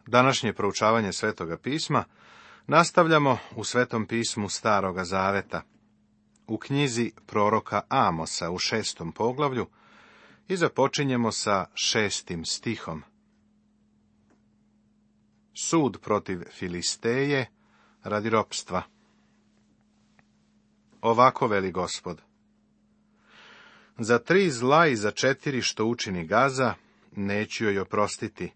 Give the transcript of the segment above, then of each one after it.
Današnje proučavanje Svetoga pisma nastavljamo u Svetom pismu Staroga zaveta, u knjizi proroka Amosa u 6. poglavlju i započinjemo sa 6. stihom. Sud protiv Filisteje radi ropstva. Ovako veli Gospod: za 3 zla i za 4 što učini Gaza, neću joj oprostiti,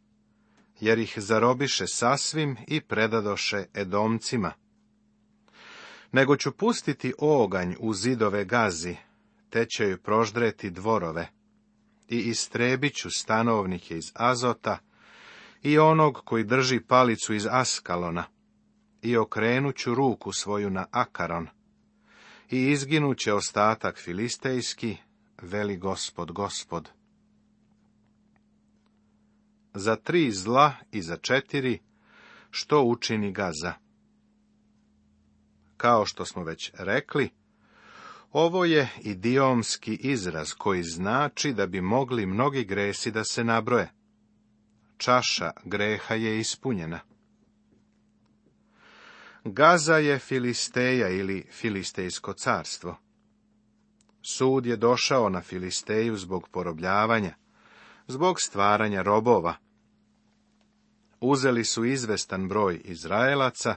jer ih zarobiše sasvim i predadoše Edomcima. Nego ću pustiti oganj u zidove Gazi, te će joj proždreti dvorove, i istrebit ću stanovnike iz Azota, i onog koji drži palicu iz Askalona, i okrenut ću ruku svoju na Akaron, i izginut će ostatak filistejski, veli Gospod, Gospod. Za 3 zla i za 4, što učini Gaza. Kao što smo već rekli, ovo je idiomski izraz koji znači da bi mogli mnogi gresi da se nabroje. Čaša greha je ispunjena. Gaza je Filisteja ili Filistejsko carstvo. Sud je došao na Filisteju zbog porobljavanja, zbog stvaranja robova. Uzeli su izvestan broj Izraelaca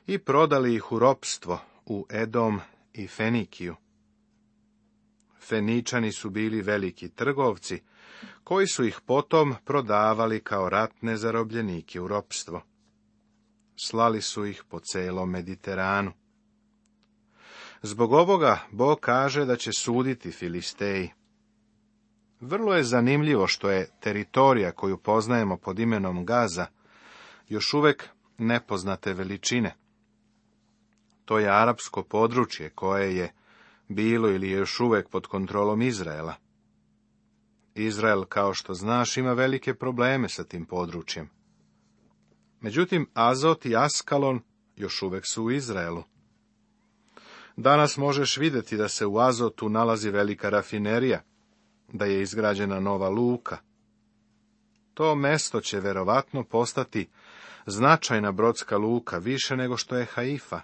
i prodali ih u ropstvo u Edom i Fenikiju. Feničani su bili veliki trgovci, koji su ih potom prodavali kao ratne zarobljenike u ropstvo. Slali su ih po celom Mediteranu. Zbog ovoga Bog kaže da će suditi Filisteji. Vrlo je zanimljivo što je teritorija koju poznajemo pod imenom Gaza još uvek nepoznate veličine. To je arapsko područje koje je bilo ili je još uvek pod kontrolom Izraela. Izrael, kao što znaš, ima velike probleme sa tim područjem. Međutim, Azot i Askalon još uvek su u Izraelu. Danas možeš vidjeti da se u Azotu nalazi velika rafinerija, da je izgrađena nova luka. To mesto će verovatno postati značajna brodska luka, više nego što je Haifa.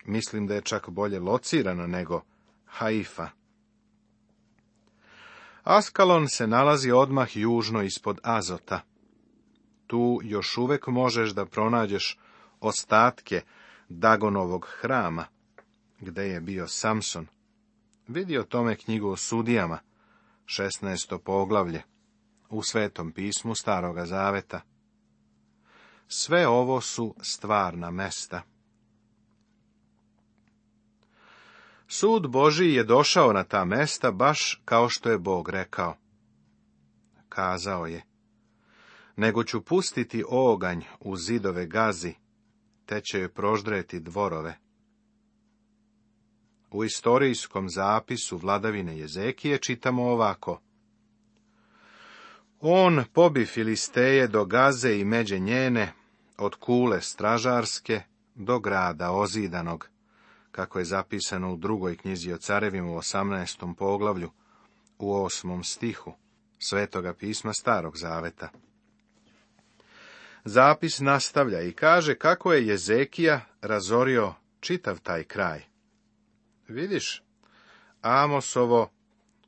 Mislim da je čak bolje locirana nego Haifa. Askalon se nalazi odmah južno ispod Azota. Tu još uvek možeš da pronađeš ostatke Dagonovog hrama, gde je bio Samson. Vidi o tome knjigu o sudijama, 16. poglavlje, u Svetom pismu Staroga zaveta. Sve ovo su stvarna mesta. Sud Božji je došao na ta mesta baš kao što je Bog rekao. Kazao je: nego ću pustiti oganj u zidove Gazi, te će joj proždreti dvorove. U istorijskom zapisu vladavine Jezekije čitamo ovako: on pobi Filisteje do Gaze i međe njene, od kule stražarske do grada ozidanog, kako je zapisano u 2. knjizi o carevima u 18. poglavlju, u 8. stihu Svetoga pisma Starog zaveta. Zapis nastavlja i kaže kako je Jezekija razorio čitav taj kraj. Vidiš, Amosovo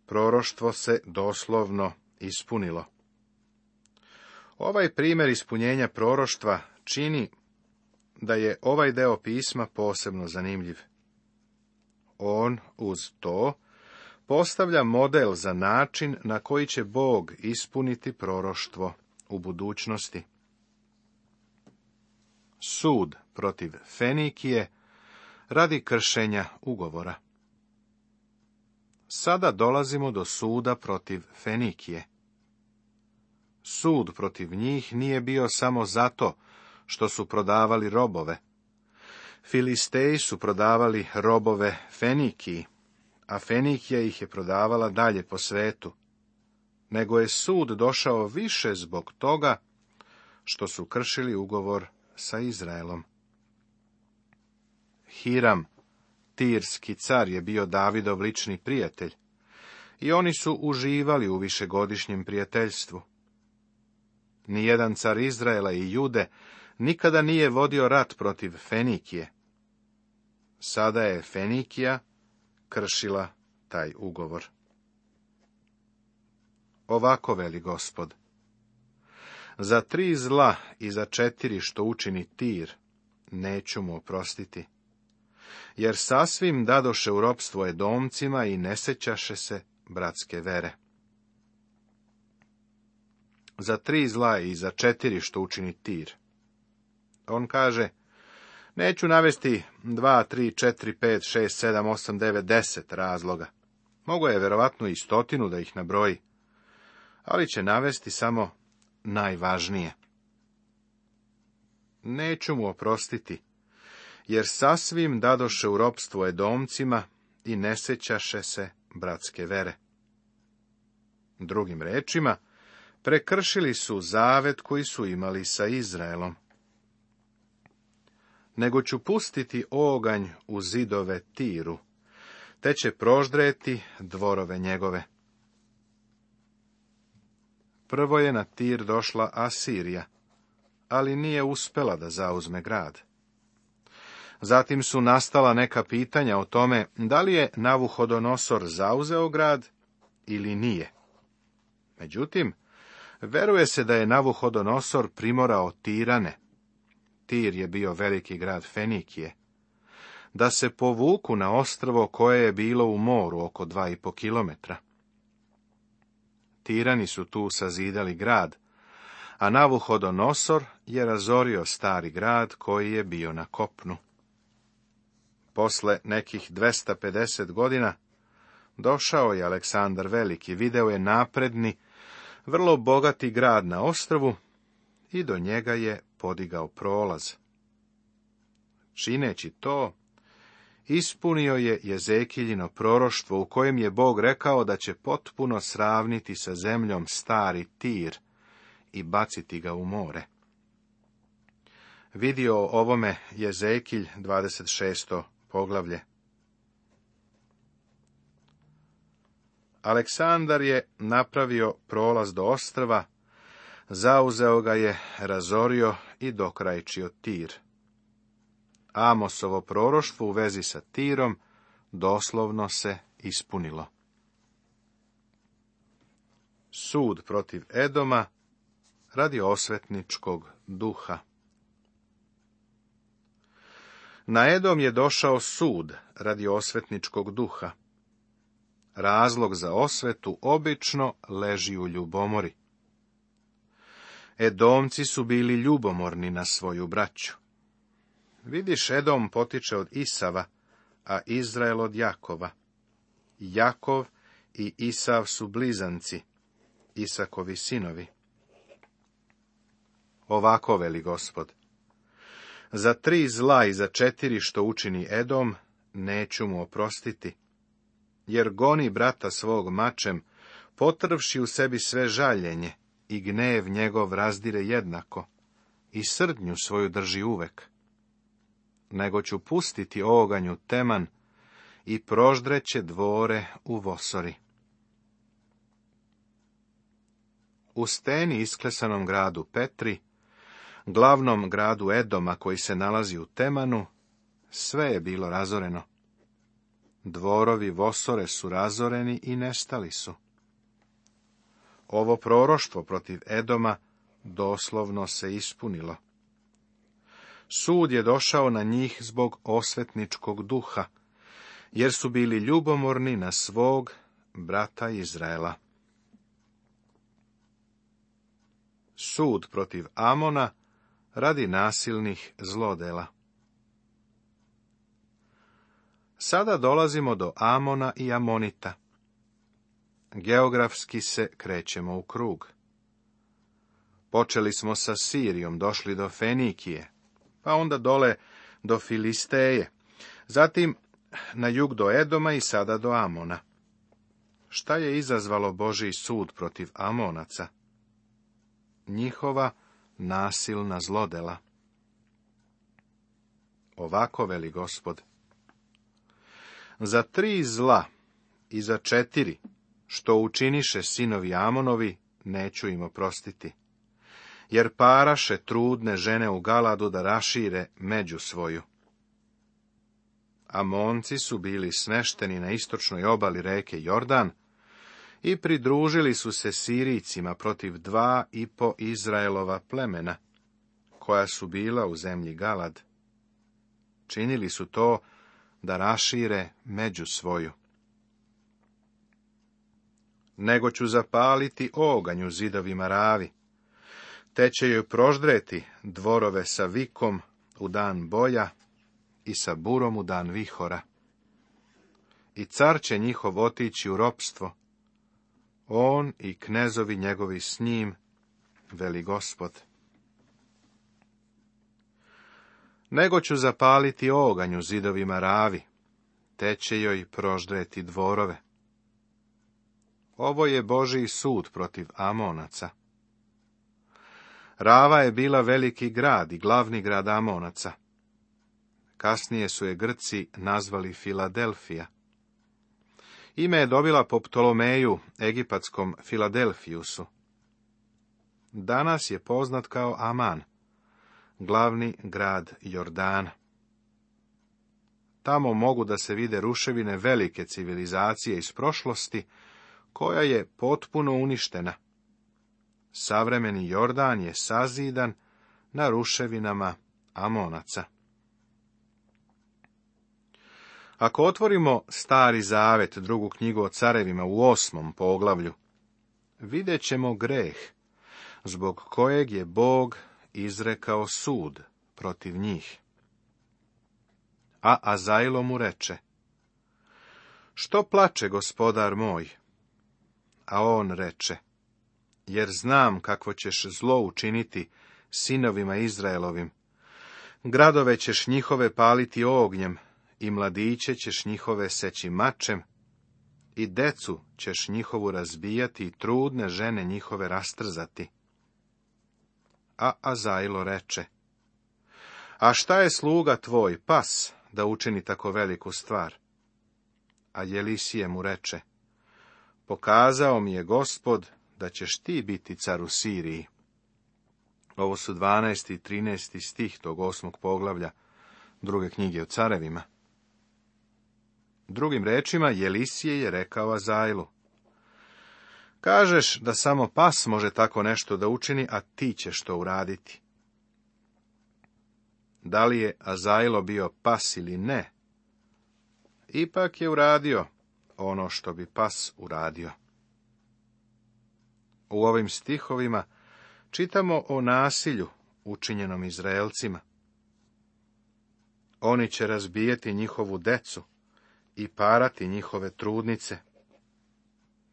proroštvo se doslovno ispunilo. Ovaj primjer ispunjenja proroštva čini da je ovaj deo pisma posebno zanimljiv. On uz to postavlja model za način na koji će Bog ispuniti proroštvo u budućnosti. Sud protiv Fenikije radi kršenja ugovora. Sada dolazimo do suda protiv Fenikije. Sud protiv njih nije bio samo zato što su prodavali robove. Filisteji su prodavali robove Fenikiji, a Fenikija ih je prodavala dalje po svetu. Nego je sud došao više zbog toga što su kršili ugovor sa Izraelom. Hiram, Tirski car, je bio Davidov lični prijatelj i oni su uživali u višegodišnjem prijateljstvu. Nijedan car Izraela i Jude nikada nije vodio rat protiv Fenikije. Sada je Fenikija kršila taj ugovor. Ovako veli Gospod: za 3 zla i za 4 što učini Tir, neću mu oprostiti, jer sasvim dadoše u ropstvo Edomcima i ne sećaše se bratske vere. Za 3 zla i za 4 što učini Tir. On kaže: neću navesti 2, 3, 4, 5, 6, 7, 8, 9, 10 razloga. Mogu je verovatno i 100 da ih nabroji, ali će navesti samo najvažnije. Neću mu oprostiti, jer sasvim dadoše u ropstvo Edomcima i ne sećaše se bratske vere. Drugim rečima, prekršili su zavet koji su imali sa Izraelom. Nego ću pustiti oganj u zidove Tiru, te će proždreti dvorove njegove. Prvo je na Tir došla Asirija, ali nije uspela da zauzme grad. Zatim su nastala neka pitanja o tome da li je Navuhodonosor zauzeo grad ili nije. Međutim, veruje se da je Navuhodonosor primorao Tirane, Tir je bio veliki grad Fenikije, da se povuku na ostrvo koje je bilo u moru oko 2,5 kilometra. Tirani su tu sazidali grad, a Navuhodonosor je razorio stari grad koji je bio na kopnu. Posle nekih 250 godina došao je Aleksandar Veliki, video je napredni, vrlo bogati grad na ostrvu i do njega je podigao prolaz. Čineći to, ispunio je Jezekiljino proroštvo u kojem je Bog rekao da će potpuno sravniti sa zemljom stari Tir i baciti ga u more. Vidio o ovome Jezekilj 26. poglavlje. Aleksandar je napravio prolaz do ostrva, zauzeo ga je, razorio i dokrajčio Tir. Amosovo proroštvo u vezi sa Tirom doslovno se ispunilo. Sud protiv Edoma radi osvetničkog duha. Na Edom je došao sud radi osvetničkog duha. Razlog za osvetu obično leži u ljubomori. Edomci su bili ljubomorni na svoju braću. Vidiš, Edom potiče od Isava, a Izrael od Jakova. Jakov i Isav su blizanci, Isakovi sinovi. Ovako veli Gospod: za 3 zla i za 4 što učini Edom, neću mu oprostiti, jer goni brata svog mačem, potrvši u sebi sve žaljenje, i gnev njegov razdire jednako, i srdnju svoju drži uvek. Nego ću pustiti oganju Teman i proždreće dvore u Vosori. U steni isklesanom gradu Petri, glavnom gradu Edoma koji se nalazi u Temanu, sve je bilo razoreno. Dvorovi Vosore su razoreni i nestali su. Ovo proroštvo protiv Edoma doslovno se ispunilo. Sud je došao na njih zbog osvetničkog duha, jer su bili ljubomorni na svog brata Izraela. Sud protiv Amona radi nasilnih zlodela. Sada dolazimo do Amona i Amonita. Geografski se krećemo u krug. Počeli smo sa Sirijom, došli do Fenikije, pa onda dole do Filisteje, zatim na jug do Edoma i sada do Amona. Šta je izazvalo Božji sud protiv Amonaca? Njihova nasilna zlodela. Ovako veli Gospod: za 3 zla i za 4 što učiniše sinovi Amonovi, neću im oprostiti, jer paraše trudne žene u Galadu da rašire među svoju. Amonci su bili smešteni na istočnoj obali reke Jordan i pridružili su se Sirijcima protiv 2,5 Izraelova plemena, koja su bila u zemlji Galad. Činili su to da rašire među svoju. Nego ću zapaliti oganj u zidovima Ravi, te će joj proždreti dvorove sa vikom u dan boja i sa burom u dan vihora. I car će njihov otići u ropstvo, on i knezovi njegovi s njim, veli Gospod. Nego ću zapaliti oganj u zidovima Ravi, te će joj proždreti dvorove. Ovo je Božji sud protiv Amonaca. Rava je bila veliki grad i glavni grad Amonaca. Kasnije su je Grci nazvali Filadelfija. Ime je dobila po Ptolomeju, egipatskom Filadelfijusu. Danas je poznat kao Aman, glavni grad Jordana. Tamo mogu da se vide ruševine velike civilizacije iz prošlosti, koja je potpuno uništena. Savremeni Jordan je sazidan na ruševinama Amonaca. Ako otvorimo Stari Zavet, drugu knjigu o carevima u 8. poglavlju, vidjet ćemo greh, zbog kojeg je Bog izrekao sud protiv njih. A Azajlo mu reče: što plače, gospodar moj? A on reče: jer znam kakvo ćeš zlo učiniti sinovima Izraelovim. Gradove ćeš njihove paliti ognjem, i mladiće ćeš njihove seći mačem, i decu ćeš njihovu razbijati, i trudne žene njihove rastrzati. A Azajlo reče: a šta je sluga tvoj, pas, da učini tako veliku stvar? A Jelisije mu reče: pokazao mi je Gospod da ćeš ti biti car u Siriji. Ovo su 12. i 13. stih tog 8. poglavlja druge knjige o carevima. Drugim rečima, Jelisije je rekao Azajlu: kažeš da samo pas može tako nešto da učini, a ti ćeš to uraditi. Da li je Azajlo bio pas ili ne, ipak je uradio ono što bi pas uradio. U ovim stihovima čitamo o nasilju učinjenom Izraelcima. Oni će razbijeti njihovu decu i parati njihove trudnice.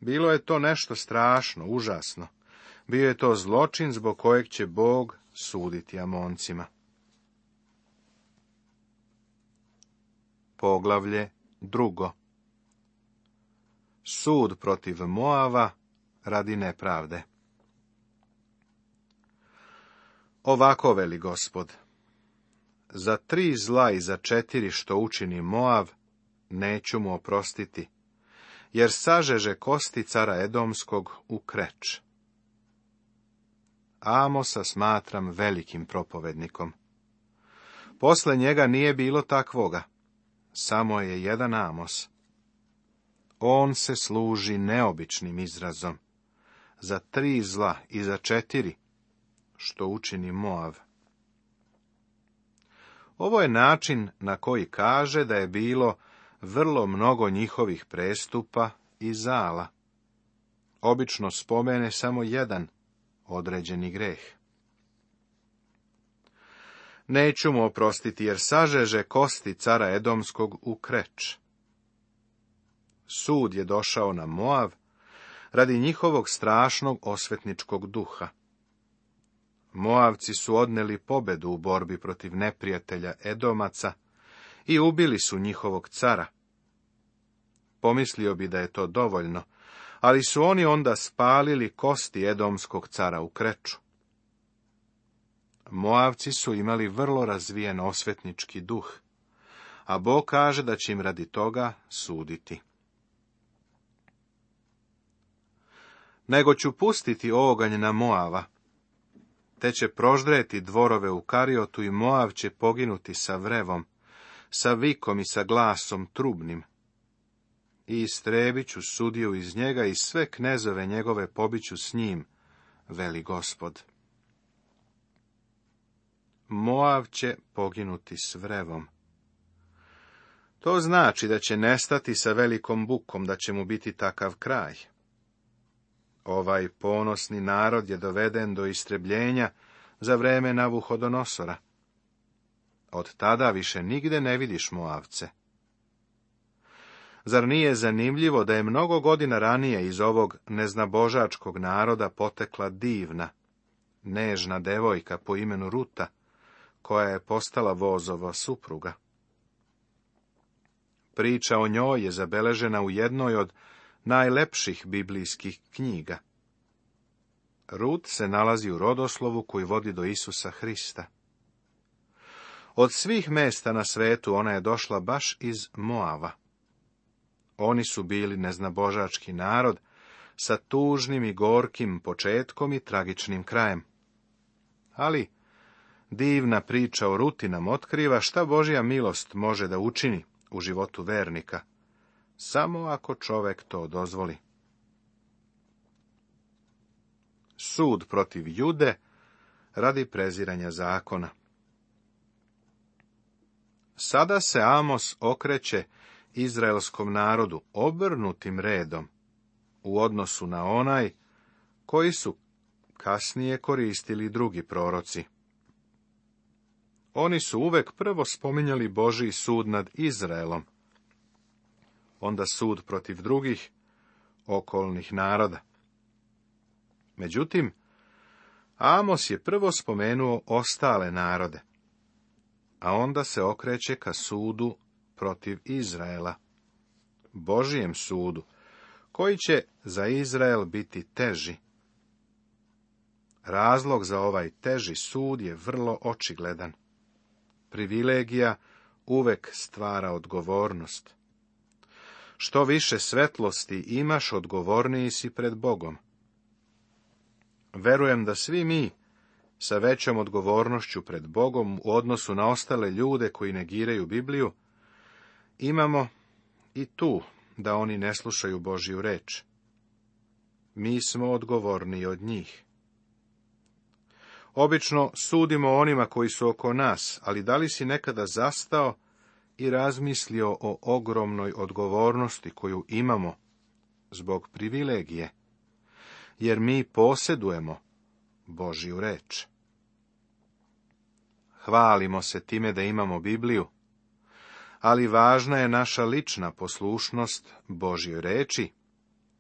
Bilo je to nešto strašno, užasno. Bio je to zločin zbog kojeg će Bog suditi Amoncima. Poglavlje 2. Sud protiv Moava radi nepravde. Ovako veli Gospod: za 3 zla i za 4 što učini Moav, neću mu oprostiti, jer sažeže kosti cara Edomskog u Kreč. Amosa smatram velikim propovednikom. Posle njega nije bilo takvoga, samo je jedan Amos. On se služi neobičnim izrazom, za 3 zla i za 4, što učini Moav. Ovo je način na koji kaže da je bilo vrlo mnogo njihovih prestupa i zala. Obično spomene samo jedan određeni greh. Neću mu oprostiti, jer sažeže kosti cara Edomskog u Kreč. Sud je došao na Moav radi njihovog strašnog osvetničkog duha. Moavci su odneli pobedu u borbi protiv neprijatelja Edomaca i ubili su njihovog cara. Pomislio bi da je to dovoljno, ali su oni onda spalili kosti Edomskog cara u Kreču. Moavci su imali vrlo razvijen osvetnički duh, a Bog kaže da će im radi toga suditi. Nego ću pustiti oganj na Moava, te će proždreti dvorove u Kariotu i Moav će poginuti sa vrevom, sa vikom i sa glasom trubnim. I istrebit ću sudiju iz njega i sve knezove njegove pobiću s njim, veli Gospod. Moav će poginuti s vrevom. To znači da će nestati sa velikom bukom, da će mu biti takav kraj. Ovaj ponosni narod je doveden do istrebljenja za vreme Navuhodonosora. Od tada više nigde ne vidiš Moavce. Zar nije zanimljivo da je mnogo godina ranije iz ovog neznabožačkog naroda potekla divna, nežna devojka po imenu Ruta, koja je postala Vozova supruga? Priča o njoj je zabeležena u jednoj od najlepših biblijskih knjiga. Rut se nalazi u rodoslovu koji vodi do Isusa Hrista. Od svih mesta na svetu ona je došla baš iz Moava. Oni su bili neznabožački narod sa tužnim i gorkim početkom i tragičnim krajem. Ali divna priča o Ruti nam otkriva šta Božja milost može da učini u životu vernika, samo ako čovek to dozvoli. Sud protiv Jude radi preziranja zakona. Sada se Amos okreće izraelskom narodu obrnutim redom u odnosu na onaj koji su kasnije koristili drugi proroci. Oni su uvek prvo spominjali Božji sud nad Izraelom, onda sud protiv drugih okolnih naroda. Međutim, Amos je prvo spomenuo ostale narode, a onda se okreće ka sudu protiv Izraela, Božijem sudu, koji će za Izrael biti teži. Razlog za ovaj teži sud je vrlo očigledan. Privilegija uvek stvara odgovornost. Što više svetlosti imaš, odgovorniji si pred Bogom. Verujem da svi mi, sa većom odgovornošću pred Bogom u odnosu na ostale ljude koji negiraju Bibliju, imamo i tu da oni ne slušaju Božju reč. Mi smo odgovorniji od njih. Obično sudimo onima koji su oko nas, ali da li si nekada zastao i razmislio o ogromnoj odgovornosti koju imamo zbog privilegije, jer mi posjedujemo Božju reč. Hvalimo se time da imamo Bibliju, ali važna je naša lična poslušnost Božjoj reči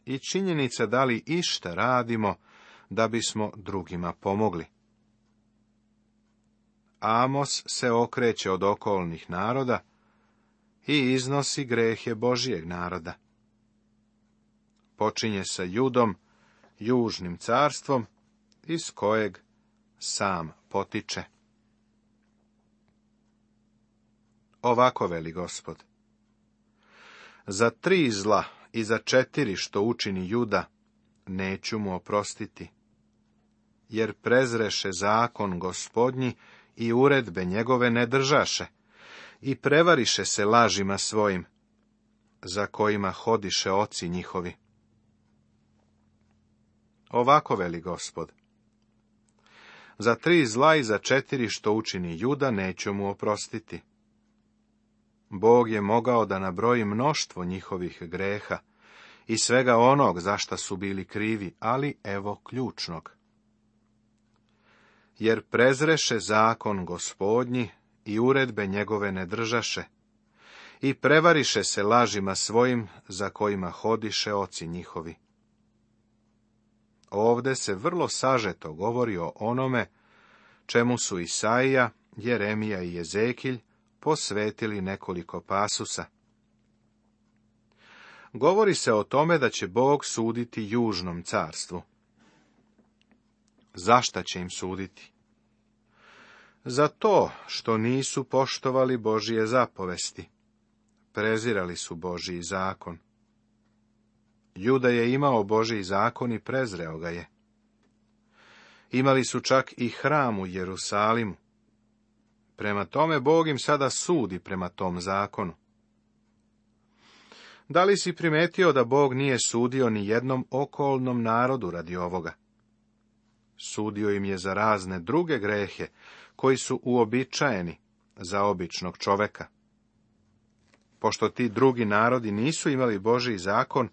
i činjenica da li išta radimo da bismo drugima pomogli. Amos se okreće od okolnih naroda i iznosi grehe Božjeg naroda. Počinje sa Judom, južnim carstvom, iz kojeg sam potiče. Ovako veli Gospod: za 3 zla i za 4 što učini Juda, neću mu oprostiti, jer prezreše zakon Gospodnji i uredbe njegove ne držaše, i prevariše se lažima svojim, za kojima hodiše oci njihovi. Ovako veli Gospod: za 3 zla i za 4 što učini Juda, neću mu oprostiti. Bog je mogao da nabroji mnoštvo njihovih greha i svega onog za šta su bili krivi, ali evo ključnog. Jer prezreše zakon Gospodnji i uredbe njegove ne držaše, i prevariše se lažima svojim, za kojima hodiše oci njihovi. Ovde se vrlo sažeto govori o onome čemu su Isaija, Jeremija i Jezekilj posvetili nekoliko pasusa. Govori se o tome da će Bog suditi južnom carstvu. Zašta će im suditi? Za to što nisu poštovali Božije zapovesti. Prezirali su Božji zakon. Juda je imao Božji zakon i prezreo ga je. Imali su čak i hram u Jerusalimu. Prema tome, Bog im sada sudi prema tom zakonu. Da li si primetio da Bog nije sudio ni jednom okolnom narodu radi ovoga? Sudio im je za razne druge grehe, koji su uobičajeni za običnog čoveka. Pošto ti drugi narodi nisu imali Božji zakon,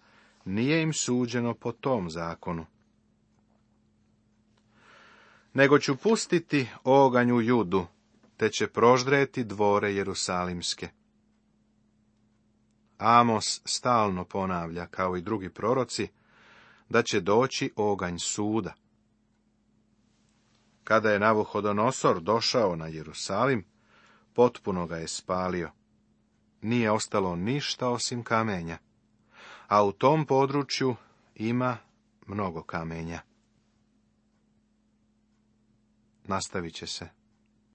nije im suđeno po tom zakonu. Nego ću pustiti oganj u Judu, te će proždreti dvore jerusalimske. Amos stalno ponavlja, kao i drugi proroci, da će doći oganj suda. Kada je Navuhodonosor došao na Jerusalim, potpuno ga je spalio. Nije ostalo ništa osim kamenja, a u tom području ima mnogo kamenja. Nastavit će se.